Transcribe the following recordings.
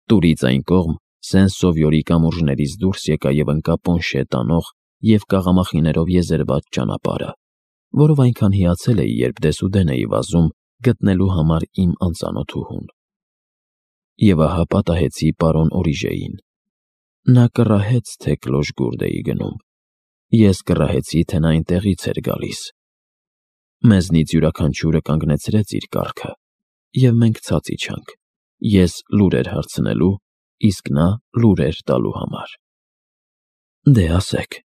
Տուրից այն կողմ Սեն-Սովյորի կամուրջներից դուրս եկա և ընկա Պոնշե տանող և կաղամախիներով եզերված ճանապարհը, որով այնքան հիացել էի, երբ դեսուդեն էի վազում գտնելու համար իմ անծանոթուհուն։ Եվ ահա պատահեցի պարոն Օրիժեին։ Նա կռահեց, թե Կլոշ-Գուրդ էի գնում։ Ես կռահեցի, թե նա այնտեղից էր գալիս։ Մեզնից յուրաքանչյուրը կանգնեցրեց իր կառքը, և մենք ցած իջանք։ Ես լուրեր հարցնելու, իսկ նա լուրեր տալու համար։ Դե ասեք,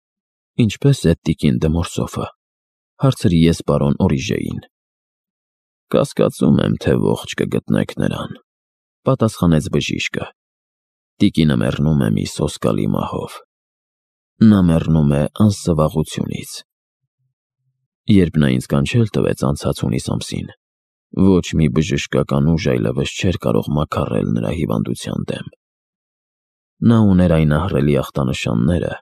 ինչպե՞ս է տիկին դը Մորսոֆը, հարցրի ես պարոն Օրիժեին։ Կասկածում եմ, թե ողջ կգտնեք նրան, պատասխանեց բժիշկը։ Տիկինը մեռնում է մի սոսկալի մահով։ Նա մեռնում է անսվաղությունից։ Երբ նա ինձ կանչել տվեց անցած հունիս ամսին, ոչ մի բժշկական ուժ այլևս չէր կարող մաքառել նրա հիվանդության դեմ։ Նա ուներ այն ահռելի ախտանշանները,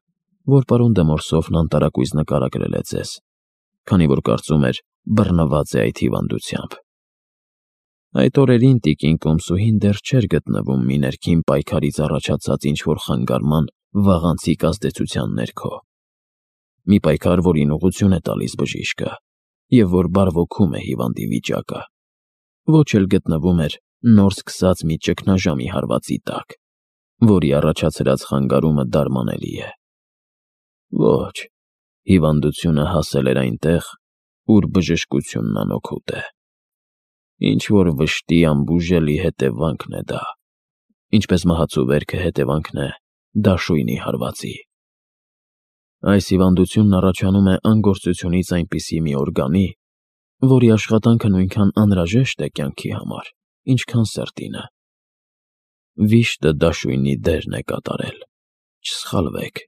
որ պարոն դը Մորսոֆն անտարակույս նկարագրել է ձեզ, քանի որ կարծում էր բռնված է այդ հիվանդությամբ։ Այդ օրերին տիկին Կոմսուհին դեռ չէր գտնվում մի ներքին պայքարից առաջացած ինչ-որ խանգարման վաղանցիկ ազդեցության ներքո։ Մի պայքար, որին ուղղություն է տալիս բժիշկը, և որ բարվոքում է հիվանդի վիճակը, ոչ էլ գտնվում էր նոր սկսած մի ճգնաժամի հարվածի տակ, որի առաջացրած խանգարումը դարմանելի է։ Ոչ, հիվանդությունը հասել էր այնտեղ, ուր բժշկությունն անօգուտ է։ Ինչ-որ վշտի անբուժելի հետևանքն է դա, ինչպես մահացու վերքը հետևանքն է դաշույնի հարվածի։ Այս հիվանդությունն առաջանում է անգործությունից այնպիսի մի օրգանի, որի աշխատանքը նույնքան անհրաժեշտ է կյանքի համար, ինչքան սրտինը։ Վիշտը դաշույնի դերն է կատարել, չսխալվեք։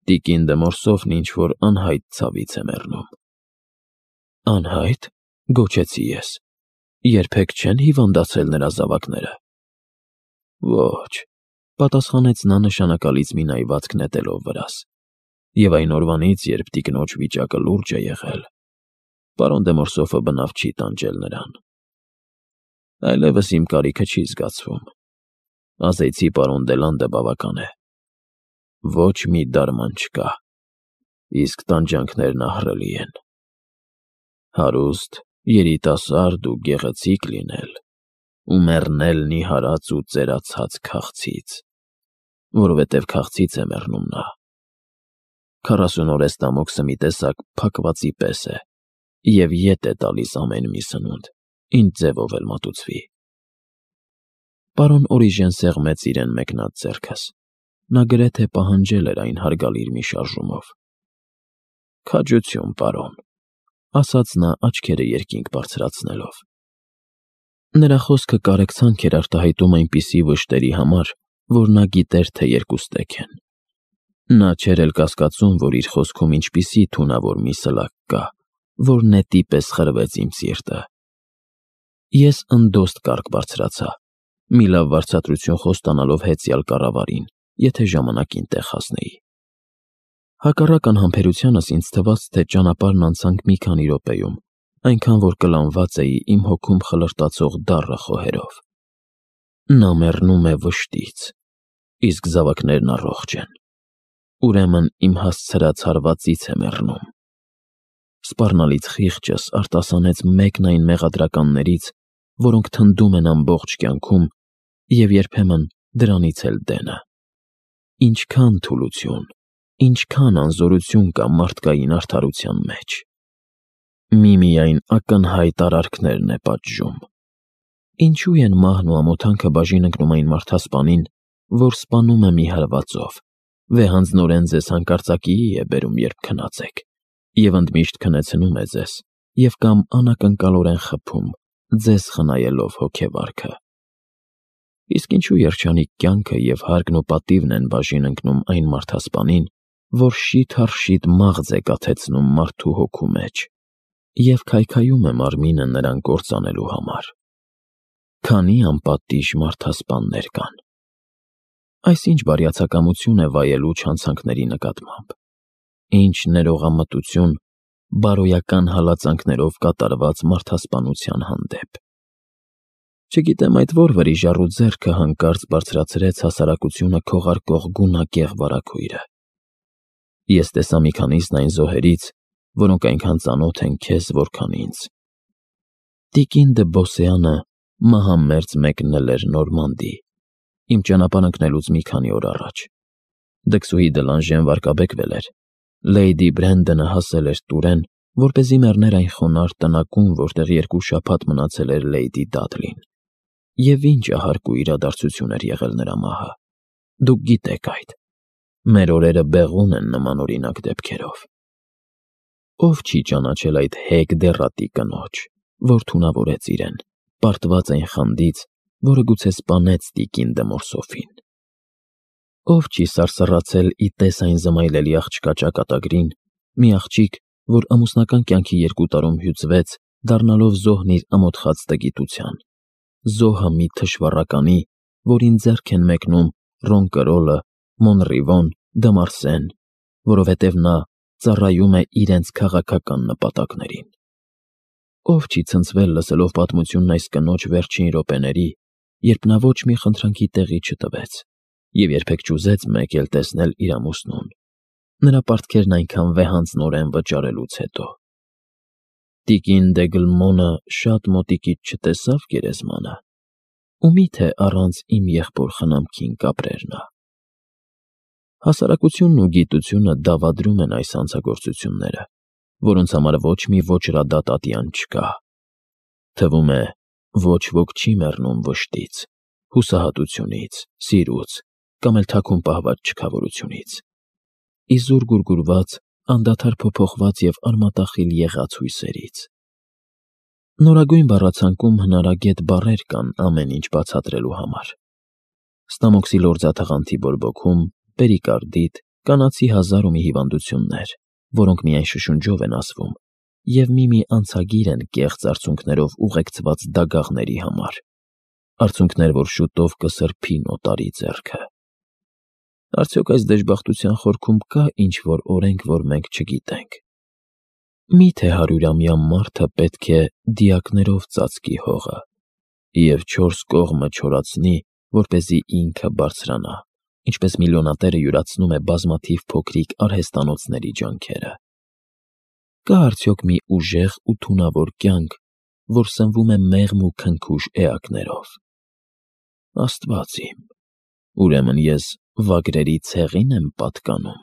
Տիկին դը Մորսոֆն ինչ-որ անհայտ ցավից է մեռնում։ Անհայտ, գոչեցի ես, երբեք չեն հիվանդացել նրա զավակները։ Ոչ, պատասխանեց նա նշանակալից մի նայվածք նետելով վրաս, և այն օրվանից, երբ տիկնոջ վիճակը լուրջ է եղել, պարոն դը Մորսոֆը բնավ չի տանջել նրան։ Այլևս իմ կարիքը չի զգացվում։ Ասեցի պարոն Դելանդը բավական է։ Ոչ մի դարման չկա, իսկ տանջանքներն ահռելի են։ Հարուստ, երիտասարդ ու գեղեցիկ լինել ու մեռնել նիհարած ու ծերացած քաղցից, որովհետև քաղցից է մեռնում նա։ 40 օր էստամոքսը մի տեսակ փակվածի պես է և ետ է տալիս ամեն մի սնունդ, ինչ ձևով էլ մատուցվի։ Պարոն Օրիժեն սեղմեց իրեն մեկնած ձեռքս։ Նա գրեթե պահանջել էր այն հարգալիր մի շարժումով։ Քաջություն, պարոն, ասաց նա աչքերը երկինք բարձրացնելով։ Նրա խոսքը կարեկցանք էր արտահայտում այնպիսի վշտերի համար, որ նա գիտեր, թե երկուստեք են։ Նա չէր էլ կասկածում, որ իր խոսքում ինչպիսի թունավոր մի սլակ կա, որ նետի պես խրվեց իմ սիրտը։ Ես ընդոստ կառք բարձրացա, մի լավ վարձատրություն խոստանալով հեծյալ կառավարին, եթե ժամանակին տեղ հասնեի։ Հակառակ անհամբերությանս ինձ թվաց, թե ճանապարհն անցանք մի քանի րոպեում, այնքան որ կլանված էի իմ հոգում խլրտացող դառը խոհերով։ Նա մեռնում է վշտից, իսկ զավակներն առողջ են։ Ուրեմն իմ հասցրած հարվածից է մեռնում։ Սպառնալից խիղճս արտասանեց մեկն այն մեղադրականներից, որոնք թնդում են ամբողջ կյանքում և երբեմն դրանից էլ դենը։ Ինչքան թուլություն, ինչքան անզորություն կա մարդկային արդարության մեջ։ Միմիայն ակնհայտ արարքներն է պատժում։ Ինչու են մահն ու ամոթանքը բաժին ընկնում այն մարդասպանին, որ սպանում է մի հարվածով, վեհանձնորեն ձեզ հանկարծակիի է բերում, երբ քնած եք, և ընդմիշտ քնեցնում է ձեզ, և կամ անակնկալորեն խփում, ձեզ խնայելով հոգեվարքը։ Իսկ ինչու երջանիկ կյանքը և հարգն ու պատիվն են բաժին ընկնում այն մարդասպանին, որ շիթ առ շիթ մաղձ է կաթեցնում մարդու հոգու մեջ և քայքայում է մարմինը նրան կործանելու համար։ Քանի անպատիժ մարդասպաններ կան։ Այս ինչ բարյացակամություն է վայելու չանցանքների նկատմամբ, ինչ ներողամտություն բարոյական հալածանքներով կատարված մարդասպանության հանդեպ։ Չգիտեմ այդ որ վրիժառու ձեռքը հանկարծ բարձրացրեց հասարակությունը քողարկող գունակեղ վարագույրը։ Ես տեսա մի քանիսն այն զոհերից, որոնք այնքան ծանոթ են քեզ, որքան ինձ։ Տիկին դը Բոսեանը մահամերձ մեկնել էր Նորմանդի, իմ ճանապարհ ընկնելուց մի քանի օր առաջ։ Դքսուհի Դլանժեն վարկաբեկվել էր։ Լեյդի Բրենդոնը հասել էր Տուրեն, որպեսզի մեռներ այն խոնարհ տնակում, որտեղ 2 շաբաթ մնացել էր Լեյդի Դադլին։ Եվ ինչ ահարկ ու իրադարձություն էր եղել նրա մահը։ Դուք գիտեք այդ։ Մեր օրերը բեղուն են նմանօրինակ դեպքերով։ Ով չի ճանաչել այդ հեգ դեռատի կնոջ, որ թունավորեց իրեն, պարտված այն խանդից, որը գուցե սպանեց տիկին Դմորսոֆին։ Ով չի սարսռացել ի տես այն զմայլելի աղջկա ճակատագրին, մի աղջիկ, որ ամուսնական կյանքի 2 տարում հյուծվեց, դառնալով զոհն իր ամոթխած տգիտության, զոհը մի թշվառականի, որին ձեռք են մեկնում Ռոնկրոլը, Մոնրիվոն, Դմարսեն, որովհետև նա ծառայում է իրենց քաղաքական նպատակներին։ Ով չի ցնցվել լսելով պատմությունն այս կնոջ վերջին րոպեների, երբ նա ոչ մի խնդրանքի տեղի չտվեց և երբեք չուզեց մեկ էլ տեսնել իր ամուսնուն, նրա պարտքերն այնքան վեհանձնորեն վճարելուց հետո։ Տիկին Դեգլմոնը շատ մոտիկից չտեսավ գերեզմանը, ու միթե առանց իմ եղբոր խնամքին կապրեր նա։ Հասարակությունն ու գիտությունը դավադրում են այս հանցագործությունները, որոնց համար ոչ մի ոճրադատ ատյան չկա։ Թվում է, ոչ ոք չի մեռնում վշտից, հուսահատությունից, սիրուց կամ էլ թաքուն պահված չքավորությունից։ Իզուր գուրգուրված, անդադար փոփոխված և արմատախիլ եղած հույսերից։ Նորագույն բառացանկում հնարագետ բառեր կան ամեն ինչ բացատրելու համար։ Ստամոքսի լորձաթաղանթի բորբոքում, պերիկարդիտ, կանացի 1000 ու մի հիվանդություններ, որոնք միայն շշունջով են ասվում, և մի անցագիր են կեղծ արցունքներով ուղեկցված դագաղների համար, արցունքներ, որ շուտով կսրբին օտարի ձեռքը։ Արդյոք այս դժբախտության խորքում կա ինչ-որ օրենք, որ մենք չգիտենք։ Միթե 100-ամյա մարդը պետք է դիակներով ծածկի հողը և 4 կողմը չորացնի, որպեսզի ինքը բարձրանա, ինչպես միլիոնատերը յուրացնում է բազմաթիվ փոքրիկ արհեստանոցների ջանքերը։ Կա արդյոք մի ուժեղ ու թունավոր կյանք, որ սնվում է մեղմ ու քնքուշ էակներով։ Աստված իմ, ուրեմն ես վագրերի ցեղին եմ պատկանում։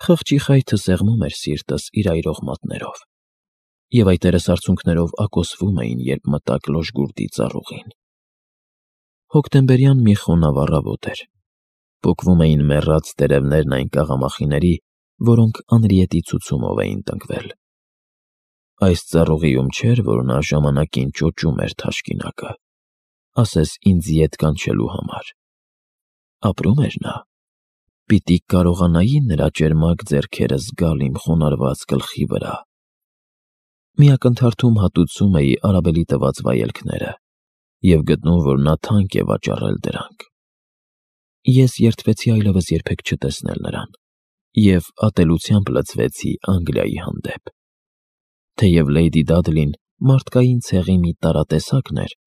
Խղճի խայթը սեղմում էր սիրտս իր այրող մատներով, և այտերս արցունքներով ակոսվում էին, երբ մտա Կլոշգուրդի ծառուղին։ Հոկտեմբերյան մի խոնավ առավոտ էր։ Պոկվում էին մեռած տերևներն այն կաղամախիների, որոնք Անրիետի ցուցումով էին տնկվել։ Այս ծառուղիում չէր, որ նա ժամանակին ճոճում էր թաշկինակը, ասես ինձ ետ կանչելու համար։ Ապրում էր նա։ Պիտի կարողանայի նրա ճերմակ ձեռքերը զգալ իմ խոնարհված գլխի վրա։ Մի ակնթարթում հատուցում էի Արաբելի տված վայելքները և գտնում, որ նա թանկ է վաճառել դրանք։ Ես երդվեցի այլևս երբեք չտեսնել նրան և ատելությամբ լցվեցի Անգլիայի հանդեպ։ Թեև Լեյդի Դադլին մարդկային ցեղի մի տարատեսակն էր,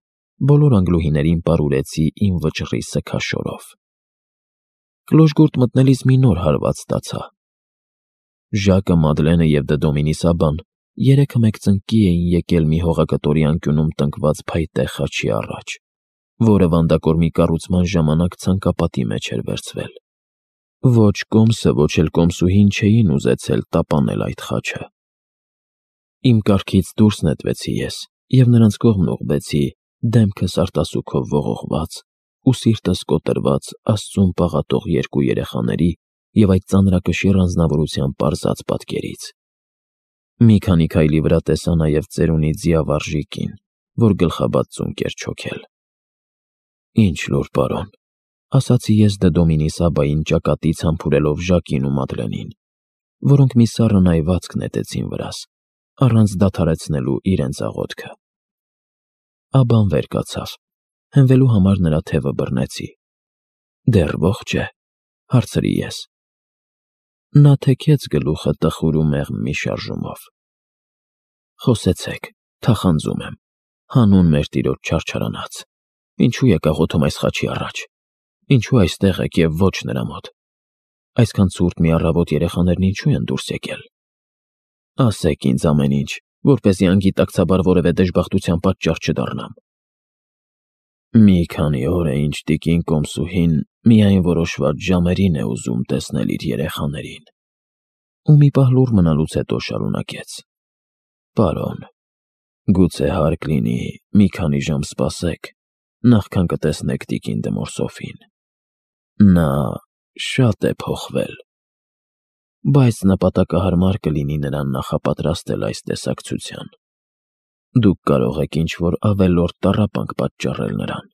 բոլոր անգլուհիներին պարուրեցի իմ վճռի սգաշորով։ Կլոշգուրդ մտնելիս մի նոր հարված ստացա։ Ժակը, Մադլենը և Դը Դոմինիսաբան երեքը մեկ ծնկի էին եկել մի հողակտորի անկյունում տնկված փայտե խաչի առաջ, որը վանդակորմի կառուցման ժամանակ ցանկապատի մեջ էր վերցվել։ Ոչ կոմսը, ոչ էլ կոմսուհին չէին ուզեցել տապանել այդ խաչը։ Իմ կառքից դուրս նետվեցի ես և նրանց կողմն ուղղվեցի, դեմքս արտասուքով ողողված ու սիրտս կոտրված Աստծուն պաղատող 2 երեխաների և այդ ծանրակշիռ անձնավորության պարզած պատկերից։ Մի քանի քայլի վրա տեսա նաև ծերունի ձիավարժի կին, որ գլխաբաց ծունկ էր չոքել։ Ինչ լուր, պարոն, ասացի ես Դը Դոմինիսաբային ճակատից համբուրելով Ժակին ու Մադլենին, որոնք մի սառը նայվածք նետեցին վրաս, առանց դադարեցնելու իրենց աղոթքը։ Աբան վեր կացավ, հենվելու համար նրա թևը բռնեցի։ Դեռ ողջ է, հարցրի ես։ Նա թեքեց գլուխը տխուր ու մեղմ մի շարժումով։ Խոսեցեք, թախանձում եմ, Հանուն մեր տիրոջ չարչարանաց, ինչու եկա ղոթում այս խաչի առաջ, ինչու այստեղ եք և ոչ նրա մոտ, այսքան ցուրտ մի առավոտ երեխաներն ինչու են դուրս եկել, ասեք ինձ ամեն ինչ, որպեսզի անգիտակցաբար որևէ դժբախտության պատճառ չդառնամ։ Մի քանի օր է ինչ տիկին Կոմսուհին միայն որոշված ժամերին է ուզում տեսնել իր երեխաներին, ու մի պահ լուռ մնալուց հետո շարունակեց. Պարոն, գուցե հարկ լինի մի քանի ժամ սպասեք, նախքան կտեսնեք տիկին Դմորսոֆին։ Նա շատ է փոխվել, բայց նպատակահարմար կլինի նրան նախապատրաստել այս տեսակցության։ Դուք կարող եք ինչ-որ ավելորդ տառապանք պատճառել նրան։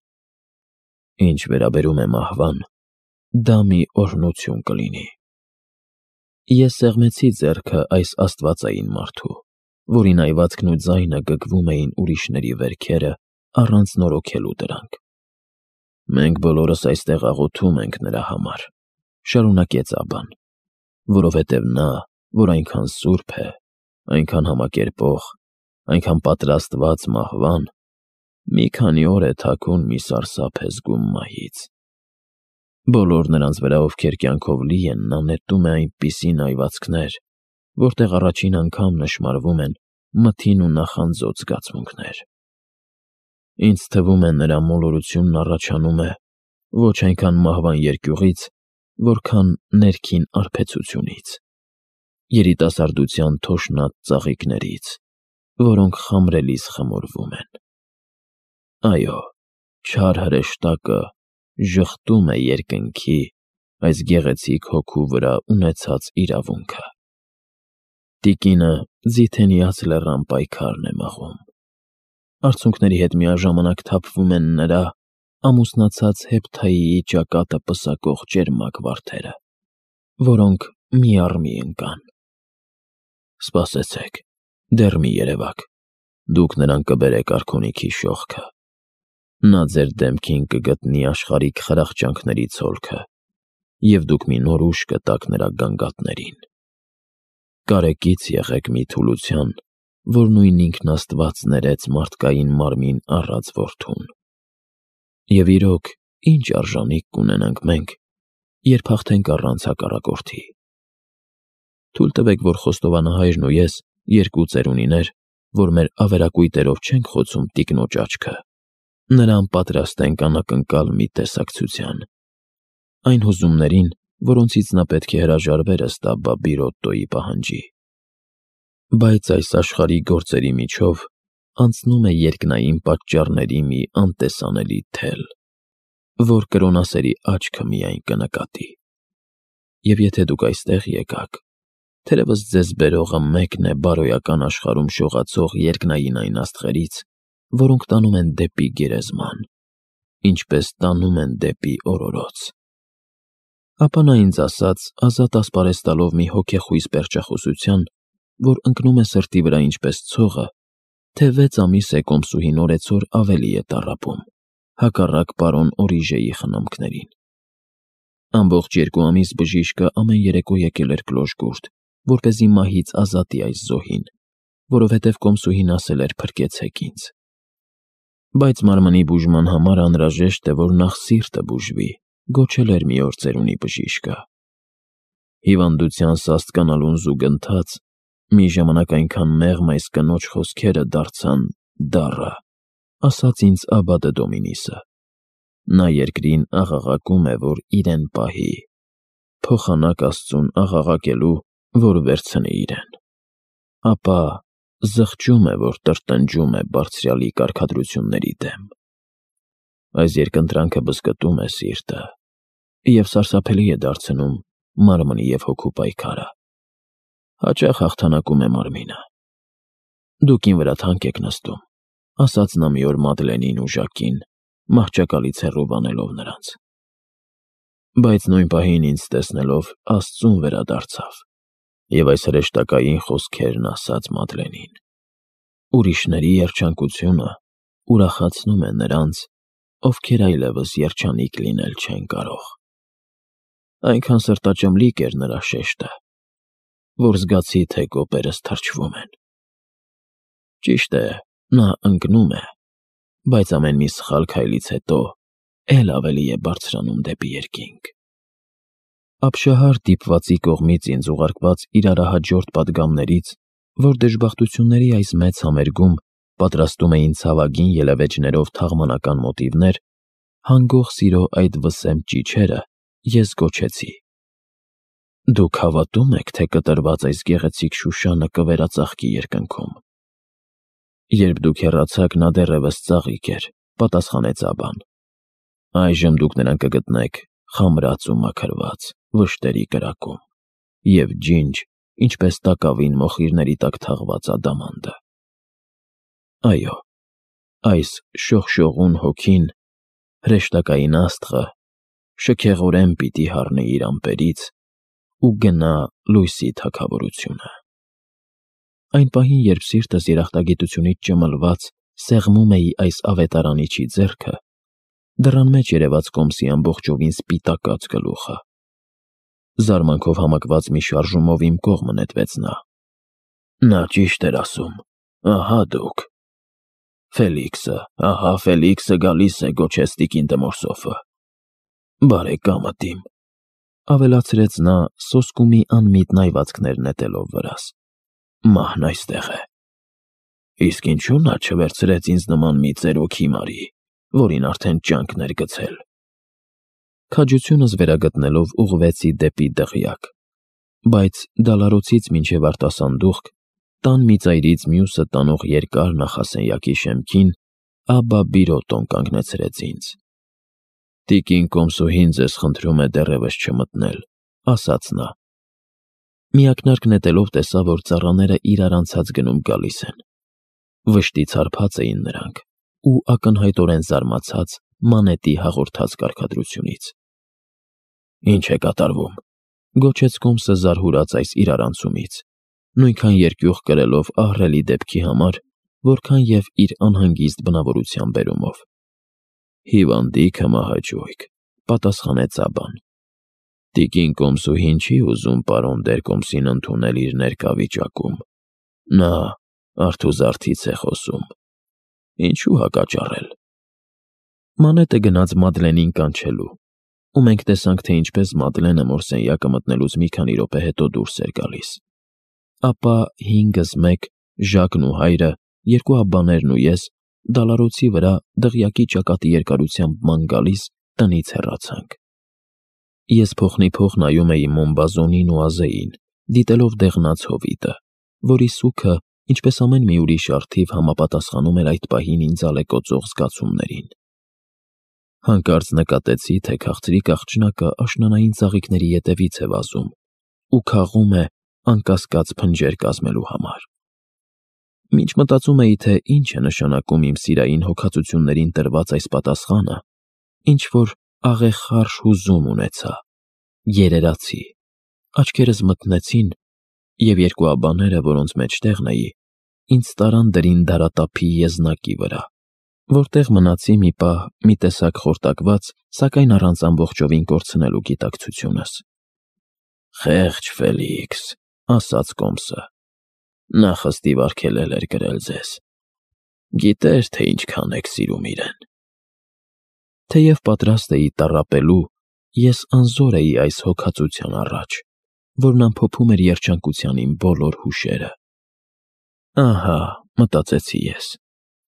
Ինչ վերաբերում է մահվան, դա մի օրհնություն կլինի։ Ես սեղմեցի ձեռքը այս աստվածային մարդու, որի նայվածքն ու ձայնը գգվում էին ուրիշների վերքերը առանց նորոգելու դրանք։ Մենք բոլորս այստեղ աղոթում ենք նրա համար, շարունակեց Աբան, որովհետև նա, որ այնքան սուրբ է, այնքան համակերպող, այնքան պատրաստված մահվան, մի քանի օր է թաքուն մի սարսափ է զգում մահից։ Բոլոր նրանց վրա, ովքեր կյանքով լի են, նա նետում է այնպիսի նայվածքներ, որտեղ առաջին անգամ նշմարվում են մթին ու նախանձոտ զգացմունքներ։ Ինձ թվում է նրա մոլորությունն առաջանում է ոչ այնքան մահվան երկյուղից, որքան ներքին արբեցությունից, երիտասարդության թոշնած ծաղիկներից, որոնք խամրելիս խմորվում են։ Այո, չար հրեշտակը ժխտում է երկնքի այս գեղեցիկ հոգու վրա ունեցած իրավունքը։ Տիկինը Ձիթենիաց լեռան պայքարն է մաղում։ Արցունքների հետ միաժամանակ թափվում են նրա ամուսնացած Հեփթայիի ճակատը պսակող ճերմակ վարդերը, որոնք մի առ մի ընկան։ Սպասեցեք, դեռ մի երևաք, դուք նրան կբերեք արքունիքի շողքը։ Նա ձեր դեմքին կգտնի աշխարհիկ խրախճանքների ցոլքը, և դուք մի նոր ուժ կտաք նրա գանգատներին։ Կարեկից եղեք մի թուլության, որ նույն ինքն Աստված ներեց մարդկային մարմին առած որդուն։ Եվ իրոք, ինչ արժանիք կունենանք մենք, երբ հաղթենք առանց հակառակորդի։ Թույլ տվեք, որ խոստովանահայրն ու ես, երկու ծերունիներ, որ մեր ավերակույտերով չենք խոցում տիկնոջ աչքը, նրան պատրաստենք անակնկալ մի տեսակցության, այն հուզումներին, որոնցից նա պետք է հրաժարվեր ըստ Աբբա Բիրոտտոյի պահանջի։ Բայց այս աշխարհի գործերի միջով անցնում է երկնային պատճառների մի անտեսանելի թել, որ կրոնասերի աչքը միայն կնկատի։ Եվ եթե դուք այստեղ եկաք, թերևս ձեզ բերողը մեկն է բարոյական աշխարհում շողացող երկնային այն աստղերից, որոնք տանում են դեպի գերեզման, ինչպես տանում են դեպի օրորոց։ Ապա նա ինձ ասաց, ազատ ասպարեզ տալով մի հոգեխույզ պերճախոսության, որ ընկնում է սրտի վրա ինչպես ցողը, թե 6 ամիս է Կոմսուհին օրեցօր ավելի է տառապում, հակառակ պարոն Օրիժեի խնամքներին։ Ամբողջ 2 ամիս բժիշկը ամեն երեկո եկել էր Կլոշգուրդ, որպեսզի մահից ազատի այս զոհին, որովհետև Կոմսուհին ասել էր փրկեցեք ինձ։ Բայց մարմնի բուժման համար անհրաժեշտ է, որ նախ սիրտը բուժվի, գոչել էր մի օր ծերունի բժիշկը։ Հիվանդության սաստկանալուն զուգընթաց մի ժամանակ այնքան մեղմ այս կնոջ խոսքերը դարձան դառը, ասաց ինձ Աբբա Դոմինիսը։ Նա երկրին աղաղակում է, որ իրեն պահի, փոխանակ Աստծուն աղաղակելու, որ վերցնի իրեն։ Ապա զղջում է, որ տրտնջում է բարձրյալի կարգադրությունների դեմ։ Այս երկընտրանքը բզկտում է սիրտը և սարսափելի է դարձնում մարմնի և հոգու պայքարը։ Հաճախ հաղթանակում է մարմինը։ Դուք ին վրա թանկ եք նստում, ասաց նա մի օր Մադլենին ու Ժակին, մահճակալից հեռու բանելով նրանց։ Բայց նույն պահին ինձ տեսնելով Աստծուն վերադարձավ և այս հրեշտակային խոսքերն ասաց Մադլենին. ուրիշների երջանկությունը ուրախացնում է նրանց, ովքեր այլևս երջանիկ լինել չեն կարող։ Այնքան սրտաճմլիկ էր նրա շեշտը, որ զգացի, թե կոպերս թրջվում են։ Ճիշտ է, նա ընկնում է, բայց ամեն մի սխալ քայլից հետո էլ ավելի է բարձրանում դեպի երկինք։ Ապշահար դիպվածի կողմից ինձ ուղարկված իրարահաջորդ պատգամներից, որ դժբախտությունների այս մեծ համերգում պատրաստում էին ցավագին ելևէջներով թաղմանական մոտիվներ, հանգող սիրո այդ վսեմ ճիչերը ես գոչեցի. «Դուք հավատո՞ւմ եք, թե կտրված այս գեղեցիկ Շուշանը կվերածաղկի երկնքում»։ Երբ դուք հեռացաք, նա դեռևս ծաղիկ էր, պատասխանեց Աբան։ Այժմ դուք նրան կգտնեք խամրած ու մաքրված, վշտերի կրակում և ջինջ, ինչպես տակավին մոխիրների տակ թաղված ադամանդը։ Այո, այս շողշողուն հոգին, հրեշտակային աստղը, շքեղորեն պիտի հառնի իր ամպերից ու գնա լույսի թագավորությունը։ Այն պահին, երբ սիրտս երախտագիտությունից ճմլված սեղմում էի այս ավետարանիչի ձեռքը, դռան մեջ երևաց կոմսի ամբողջովին սպիտակած գլուխը։ Զարմանքով համակված մի շարժումով իմ կողմը նետվեց նա։ Նա ճիշտ էր ասում, ահա դուք։ Ֆելիքսը գալիս է, գոչեց տիկին Դմորսոֆը։ Բարեկամդ իմ, ավելացրեց նա, սոսկումի անմիտ նայվածքներ նետելով վրաս։ Մահն այստեղ է։ Իսկ ինչու նա չվերցրեց ինձ նման մի ծերոք հիմարի, որին արդեն ճանկն էր գցել։ Քաջությունս վերագտնելով ուղղվեցի դեպի դղյակ, բայց դալարոցից մինչև արտասանդուղք, տան մի ծայրից մյուսը տանող երկար նախասենյակի շեմքին Աբբա Բիրոտոն կանգնեցրեց ինձ։ Տիկին կոմսուհին ձեզ խնդրում է դեռևս չմտնել, ասաց նա։ Միակնարկ նետելով տեսա, որ ծառաները իրար անցած գնում գալիս են։ Վշտից հարբած էին նրանք ու ակնհայտորեն զարմացած մանետի հաղորդած կարգադրությունից։ Ինչ է կատարվում, գոչեց կոմսը զարհուրած այս իրարանցումից, նույնքան երկյուղ կրելով ահռելի դեպքի համար, որքան և իր անհանգիստ բնավորության բերումով։ Հիվանդիքը մահաճույք, պատասխանեց Աբան։ Տիկին կոմսուհին չի ուզում պարոն Դերկոմսին ընդունել իր ներկա վիճակում։ Նա արթուզարթից է խոսում։ Ինչու հակաճառել։ Մանետը գնաց Մադլենին կանչելու, ու մենք տեսանք, թե ինչպես Մադլենը մորսենյակը մտնելուց մի քանի րոպե հետո դուրս էր գալիս։ Ապա 5-1 Ժակն ու հայրը, երկու աբբաներն ու ես դալարոցի վրա դղյակի ճակատի երկարությամբ ման գալիս տնից հեռացանք։ Ես փոխնիփոխ նայում էի Մոնբազոնին ու Ազեին, դիտելով դեղնած հովիտը, որի սուքը, ինչպես ամեն մի ուրիշ արթիվ, համապատասխանում էր այդ պահին ինձ ալեկոծող զգացումներին։ Հանկարծ նկատեցի, թե քաղցրիկ աղջնակը աշնանային ծաղիկների ետևից է վազում ու քաղում է անկասկած փնջեր կազմելու համար։ Մինչ մտածում էի, թե ինչ է նշանակում իմ սիրային հոգացություններին տրված այս պատասխանը, ինչ-որ աղեղխարշ հուզում ունեցա, երերացի, աչքերս մթնեցին, և երկու աբբաները, որոնց մեջտեղն էի, ինձ տարան դրին դարատափի եզնակի վրա, որտեղ մնացի մի պահ մի տեսակ խորտակված, սակայն առանց ամբողջովին կորցնելու գիտակցությունս։ Խեղճ Ֆելիքս, ասաց կոմսը, նա խստիվ արգելել էր գրել ձեզ։ Գիտեր, թե ինչքան եք սիրում իրեն։ Թեև պատրաստ էի տառապելու, ես անզոր էի այս հոգածության առաջ, որն ամփոփում էր երջանկության իմ բոլոր հուշերը։ Ահա, մտածեցի ես,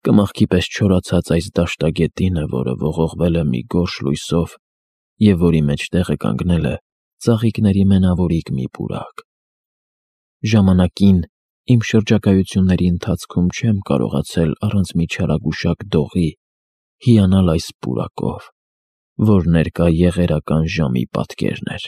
կմախքի պես չորացած այս դաշտագետինը, որը ողողվել է մի գորշ լույսով և որի մեջտեղը կանգնել է ծաղիկների մենավորիկ մի պուրակ։ Ժամանակին իմ շրջագայությունների ընթացքում չեմ կարողացել առանց մի չարագուշակ դողի հիանալ այս պուրակով, որ ներկա եղերական ժամի պատկերն էր։